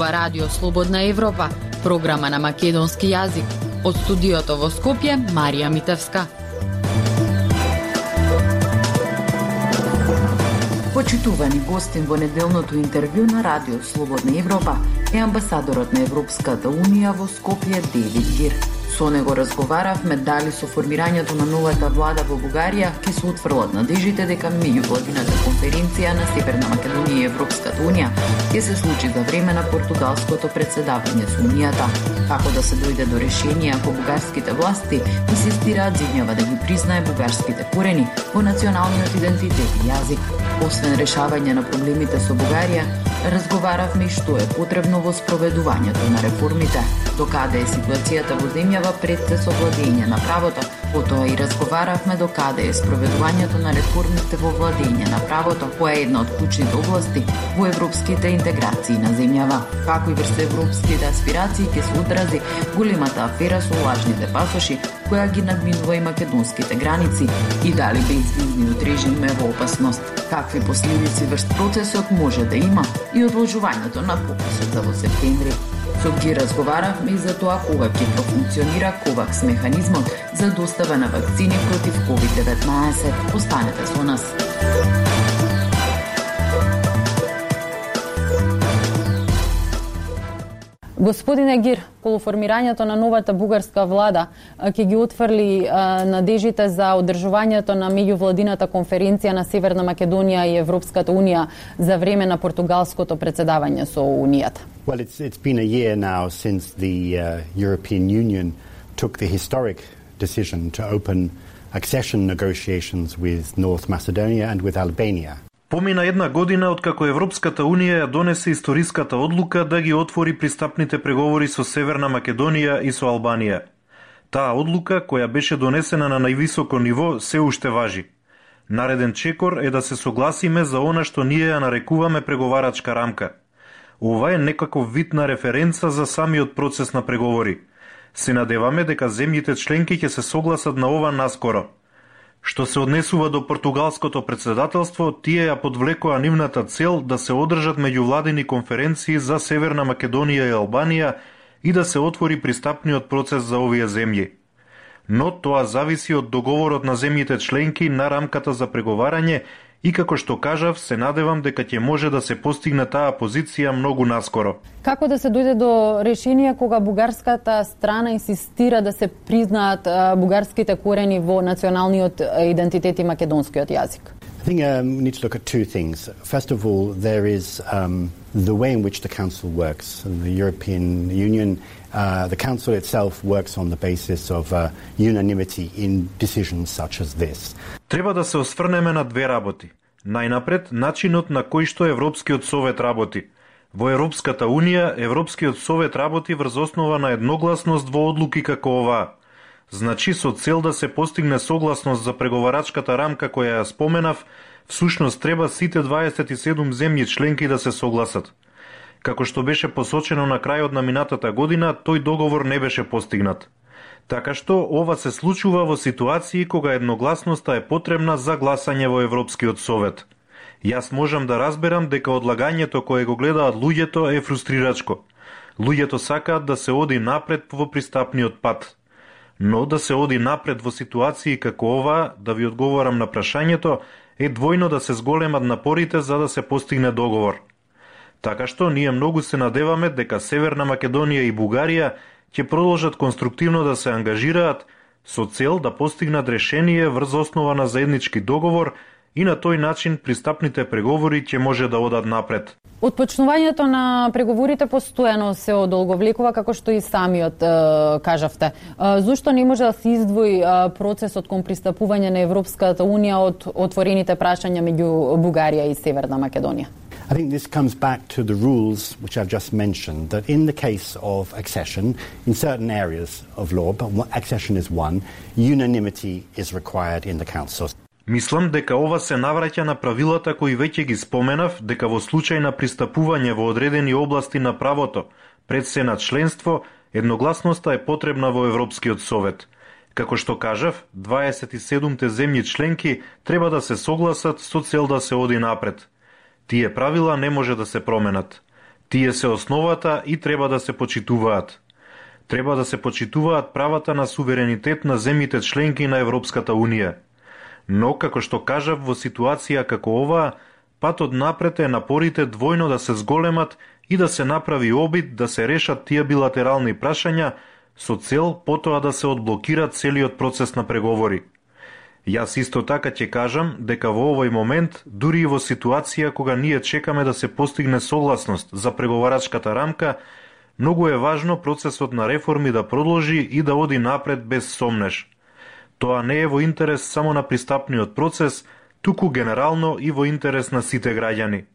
ова Радио Слободна Европа, програма на македонски јазик. Од студиото во Скопје, Марија Митевска. Почитувани гостин во неделното интервју на Радио Слободна Европа е амбасадорот на Европската Унија во Скопје Девид Гир. Со него разговаравме дали со формирањето на новата влада во Бугарија ќе се утврлат надежите дека меѓувладината конференција на Северна Македонија и Европската Унија ќе се случи за време на португалското председавање со Унијата. Како да се дојде до решение ако бугарските власти инсистираат земјава да ги признае бугарските корени во националниот идентитет и јазик. Освен решавање на проблемите со Бугарија, разговаравме и што е потребно во спроведувањето на реформите, докаде е ситуацијата во земјава пред се со владење на правото. Потоа и разговаравме докаде е спроведувањето на реформите во владење на правото, која е една од клучните области во европските интеграции на земјава. Како и врз европските аспирации ќе се одрази големата афера со лажните пасоши, која ги надминува и македонските граници, и дали безвизниот режим е во опасност. Какви последици врз процесот може да има и одложувањето на пописот за во септември. Со ги разговаравме и за тоа кога ќе профункционира ковакс механизмот за достава на вакцини против COVID-19. Останете со нас. Господине Гир, колу формирањето на новата бугарска влада ќе ги отфрли надежите за одржувањето на меѓувладината конференција на Северна Македонија и Европската Унија за време на португалското председавање со Унијата. Well, it's been a year now since the European Union took the historic decision to open accession negotiations with North Macedonia and with Albania. Помина една година откако Европската Унија ја донесе историската одлука да ги отвори пристапните преговори со Северна Македонија и со Албанија. Таа одлука, која беше донесена на највисоко ниво, се уште важи. Нареден чекор е да се согласиме за она што ние ја нарекуваме преговарачка рамка. Ова е некаков вид на референца за самиот процес на преговори. Се надеваме дека земјите членки ќе се согласат на ова наскоро. Што се однесува до португалското председателство, тие ја подвлекоа нивната цел да се одржат меѓувладини конференции за Северна Македонија и Албанија и да се отвори пристапниот процес за овие земји. Но тоа зависи од договорот на земјите членки на рамката за преговарање и како што кажав, се надевам дека ќе може да се постигне таа позиција многу наскоро. Како да се дојде до решение кога бугарската страна инсистира да се признаат бугарските корени во националниот идентитет и македонскиот јазик? I think we need to look at two things. First of all, there is the way in which the Council works. The European Union, the Council itself works on the basis of unanimity in decisions such as this. Треба да се осврнеме на две работи. Најнапред, начинот на кој што Европскиот совет работи. Во Европската Унија, Европскиот совет работи врз основа на едногласност во одлуки како оваа. Значи, со цел да се постигне согласност за преговарачката рамка која ја споменав, всушност треба сите 27 земји членки да се согласат. Како што беше посочено на крајот на минатата година, тој договор не беше постигнат. Така што ова се случува во ситуации кога едногласноста е потребна за гласање во Европскиот совет. Јас можам да разберам дека одлагањето кое го гледаат луѓето е фрустрирачко. Луѓето сакаат да се оди напред во пристапниот пат. Но да се оди напред во ситуации како ова, да ви одговорам на прашањето, е двојно да се зголемат напорите за да се постигне договор. Така што ние многу се надеваме дека Северна Македонија и Бугарија ќе продолжат конструктивно да се ангажираат со цел да постигнат решение врз основа на заеднички договор и на тој начин пристапните преговори ќе може да одат напред. Отпочнувањето на преговорите постојано се одолговлекува, како што и самиот кажавте. Зошто не може да се издвои процесот кон пристапување на Европската Унија од отворените прашања меѓу Бугарија и Северна Македонија? I think this comes back to the rules which I've just mentioned, that in the case of accession, in certain areas of law, but accession is one, unanimity is required in the Council. Мислам дека ова се навраќа на правилата кои веќе ги споменав, дека во случај на пристапување во одредени области на правото пред се на членство, едногласноста е потребна во Европскиот совет. Како што кажав, 27-те земји членки треба да се согласат со цел да се оди напред. Тие правила не може да се променат. Тие се основата и треба да се почитуваат. Треба да се почитуваат правата на суверенитет на земјите членки на Европската Унија. Но, како што кажав, во ситуација како оваа, патот напред е напорите двојно да се зголемат и да се направи обид да се решат тие билатерални прашања со цел потоа да се одблокира целиот процес на преговори. Јас исто така ќе кажам дека во овој момент, дури и во ситуација кога ние чекаме да се постигне согласност за преговарачката рамка, многу е важно процесот на реформи да продолжи и да оди напред без сомнеж. Тоа не е во интерес само на пристапниот процес, туку генерално и во интерес на сите граѓани.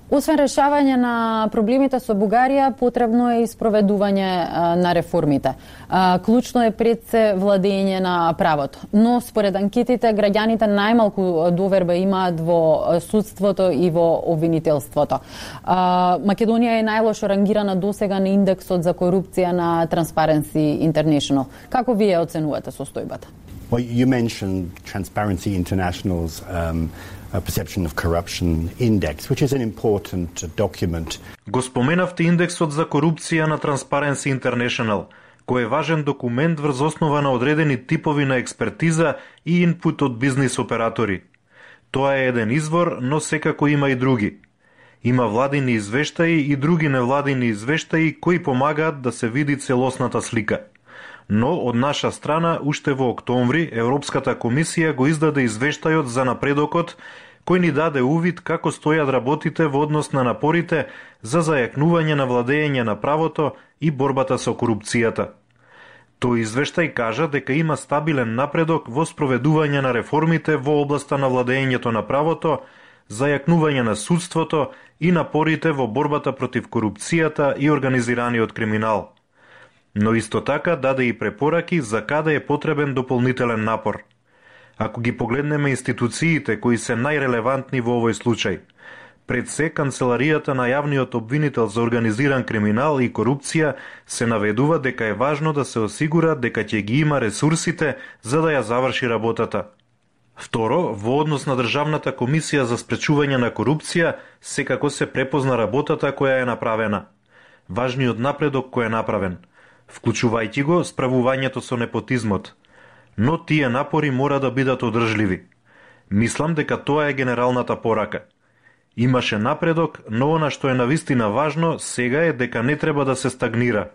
Освен решавање на проблемите со Бугарија, потребно е и спроведување на реформите. Клучно е пред се владење на правото. Но според анкетите, граѓаните најмалку доверба имаат во судството и во обвинителството. Македонија е најлошо рангирана досега на индексот за корупција на Transparency International. Како вие оценувате состојбата? Well, you mentioned Transparency International's perception of corruption index, which is an important document. Го споменавте индексот за корупција на Transparency International, кој е важен документ врз основа на одредени типови на експертиза и инпут од бизнис оператори. Тоа е еден извор, но секако има и други. Има владини извештаи и други невладини извештаи кои помагаат да се види целосната слика. Но од наша страна, уште во октомври, Европската комисија го издаде извештајот за напредокот, кој ни даде увид како стојат работите во однос на напорите за зајакнување на владење на правото и борбата со корупцијата. Тој извештај кажа дека има стабилен напредок во спроведување на реформите во областа на владењето на правото, зајакнување на судството и напорите во борбата против корупцијата и организираниот криминал. Но исто така даде и препораки за каде е потребен дополнителен напор. Ако ги погледнеме институциите кои се најрелевантни во овој случај, пред се Канцеларијата на јавниот обвинител за организиран криминал и корупција се наведува дека е важно да се осигура дека ќе ги има ресурсите за да ја заврши работата. Второ, во однос на Државната комисија за спречување на корупција, секако се препозна работата која е направена. Важниот напредок кој е направен, вклучувајќи го справувањето со непотизмот. Но тие напори мора да бидат одржливи. Мислам дека тоа е генералната порака. Имаше напредок, но она што е навистина важно сега е дека не треба да се стагнира.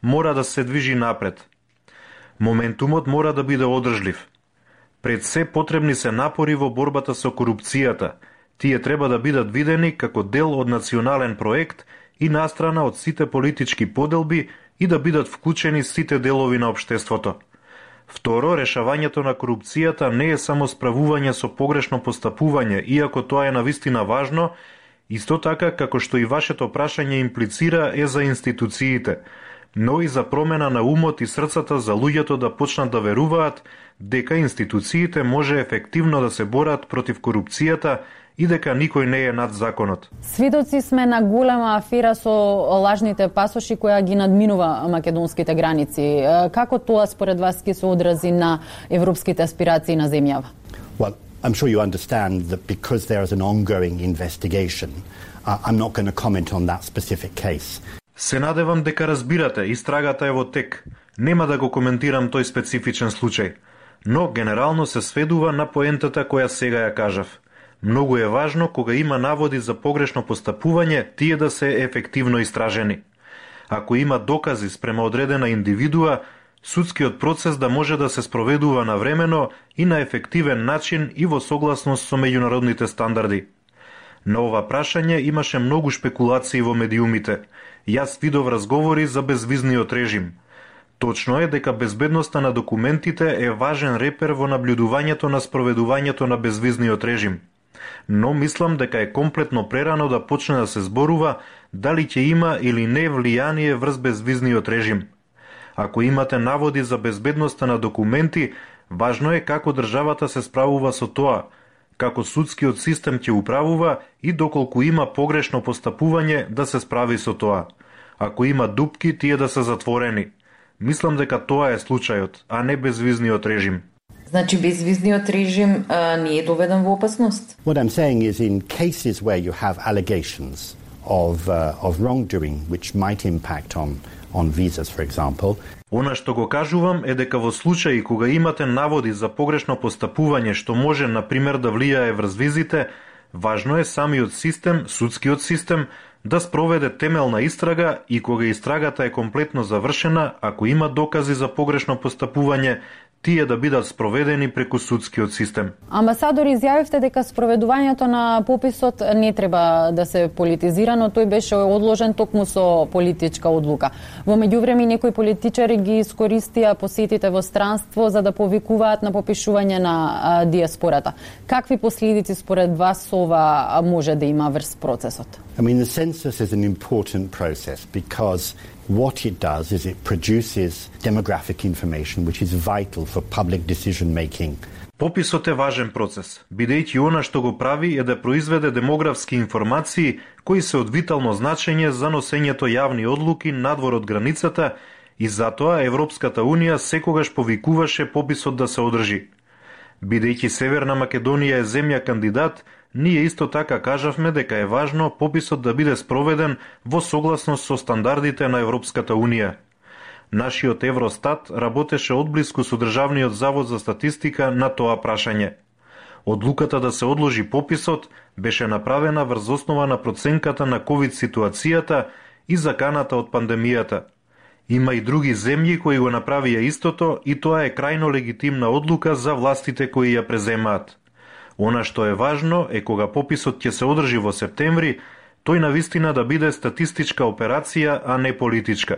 Мора да се движи напред. Моментумот мора да биде одржлив. Пред се потребни се напори во борбата со корупцијата. Тие треба да бидат видени како дел од национален проект и настрана од сите политички поделби и да бидат вклучени сите делови на општеството. Второ, решавањето на корупцијата не е само справување со погрешно постапување, иако тоа е навистина важно, исто така како што и вашето прашање имплицира е за институциите, но и за промена на умот и срцата за луѓето да почнат да веруваат дека институциите може ефективно да се борат против корупцијата и дека никој не е над законот. Сведоци сме на голема афера со лажните пасоши која ги надминува македонските граници. Како тоа според вас ќе се одрази на европските аспирации на земјава? Well, I'm sure you understand that because there is an ongoing investigation, I'm not going to comment on that specific case. Се надевам дека разбирате, истрагата е во тек. Нема да го коментирам тој специфичен случај, но генерално се сведува на поентата која сега ја кажав. Многу е важно кога има наводи за погрешно постапување, тие да се ефективно истражени. Ако има докази спрема одредена индивидуа, судскиот процес да може да се спроведува навремено и на ефективен начин и во согласност со меѓународните стандарди. На ова прашање имаше многу шпекулации во медиумите. Јас видов разговори за безвизниот режим. Точно е дека безбедноста на документите е важен репер во наблюдувањето на спроведувањето на безвизниот режим. Но мислам дека е комплетно прерано да почне да се зборува дали ќе има или не влијание врз безвизниот режим. Ако имате наводи за безбедноста на документи, важно е како државата се справува со тоа, како судскиот систем ќе управува и доколку има погрешно постапување да се справи со тоа. Ако има дупки, тие да се затворени. Мислам дека тоа е случајот, а не безвизниот режим. Значи безвизниот режим не е доведен во опасност? What I'm saying is in cases where you have allegations of wrongdoing, which might impact on visas, for example. Она што го кажувам е дека во случаи кога имате наводи за погрешно постапување што може, например, да влијае врз визите, важно е самиот систем, судскиот систем, да спроведе темелна истрага и кога истрагата е комплетно завршена, ако има докази за погрешно постапување, тие да бидат спроведени преку судскиот систем. Амбасадор, изјавивте дека спроведувањето на пописот не треба да се политизира, но тој беше одложен токму со политичка одлука. Во меѓувреме некои политичари ги искористија посетите во странство за да повикуваат на попишување на диаспората. Какви последици според вас ова може да има врз процесот? I mean, the census is an important process because what it does is it produces demographic information which is vital for public decision making. Пописот е важен процес, бидејќи она што го прави е да произведе демографски информации кои се од витално значење за носењето јавни одлуки надвор од границата и затоа Европската Унија секогаш повикуваше пописот да се одржи. Бидејќи Северна Македонија е земја кандидат, ние исто така кажавме дека е важно пописот да биде спроведен во согласност со стандардите на Европската Унија. Нашиот Евростат работеше одблиску со Државниот завод за статистика на тоа прашање. Одлуката да се одложи пописот беше направена врз основа на проценката на ковид ситуацијата и заканата од пандемијата. Има и други земји кои го направија истото и тоа е крајно легитимна одлука за властите кои ја преземаат. Она што е важно е кога пописот ќе се одржи во септември, тој навистина да биде статистичка операција, а не политичка.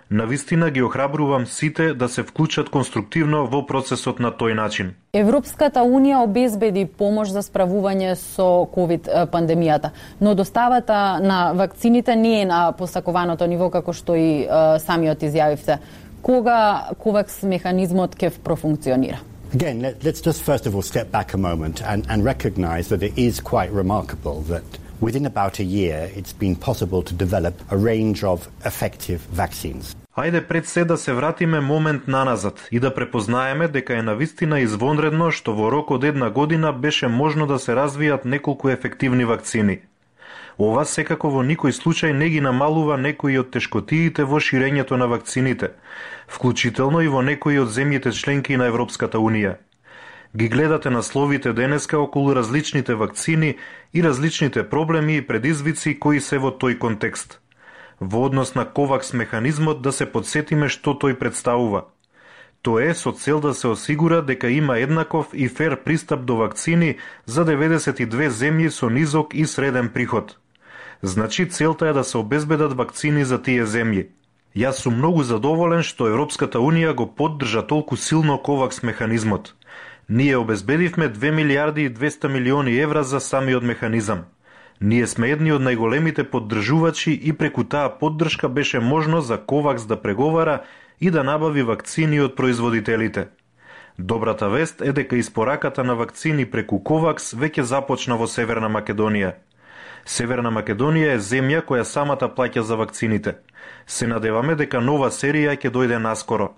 Навистина ги охрабрувам сите да се вклучат конструктивно во процесот на тој начин. Европската Унија обезбеди помош за справување со ковид пандемијата, но доставата на вакцините не е на посакуваното ниво како што и самиот изјавивте. Кога ковакс механизмот ќе профункционира? Again, let's just first of all step back a moment and recognize that it is quite remarkable that within about a year it's been possible to develop a range of effective vaccines. Ајде пред се да се вратиме момент наназад и да препознаеме дека е навистина извонредно што во рок од една година беше можно да се развијат неколку ефективни вакцини. Ова секако во никој случај не ги намалува некои од тешкотиите во ширењето на вакцините, вклучително и во некои од земјите членки на Европската Унија. Ги гледате насловите денеска околу различните вакцини и различните проблеми и предизвици кои се во тој контекст. Во однос на ковакс механизмот да се подсетиме што тој представува. Тоа е со цел да се осигура дека има еднаков и фер пристап до вакцини за 92 земји со низок и среден приход. Значи целта е да се обезбедат вакцини за тие земји. Јас сум многу задоволен што Европската Унија го поддржа толку силно ковакс механизмот. Ние обезбедивме 2 милиарди и 200 милиони евра за самиот механизам. Ние сме едни од најголемите поддржувачи и преку таа поддршка беше можно за ковакс да преговара и да набави вакцини од производителите. Добрата вест е дека испораката на вакцини преку ковакс веќе започна во Северна Македонија. Северна Македонија е земја која самата плаќа за вакцините. Се надеваме дека нова серија ќе дојде наскоро.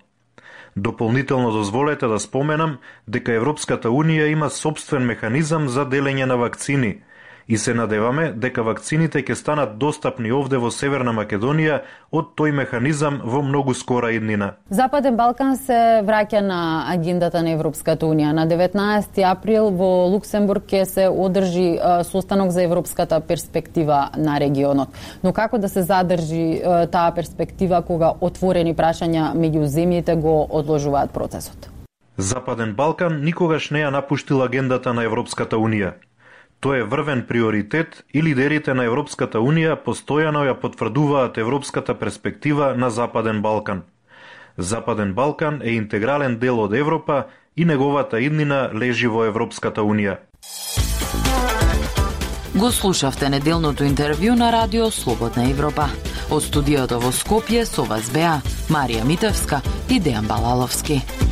Дополнително дозволете да споменам дека Европската Унија има сопствен механизам за делење на вакцини и се надеваме дека вакцините ќе станат достапни овде во Северна Македонија од тој механизам во многу скора иднина. Западен Балкан се враќа на агендата на Европската Унија. На 19 април во Луксембург ќе се одржи состанок за европската перспектива на регионот. Но како да се задржи таа перспектива кога отворени прашања меѓу земјите го одложуваат процесот? Западен Балкан никогаш не ја напуштил агендата на Европската Унија. Тоа е врвен приоритет и лидерите на Европската Унија постојано ја потврдуваат европската перспектива на Западен Балкан. Западен Балкан е интегрален дел од Европа и неговата иднина лежи во Европската Унија. Го слушавте неделното интервју на Радио Слободна Европа. Од студиото во Скопје со вас беа Марија Митевска и Дејан Балаловски.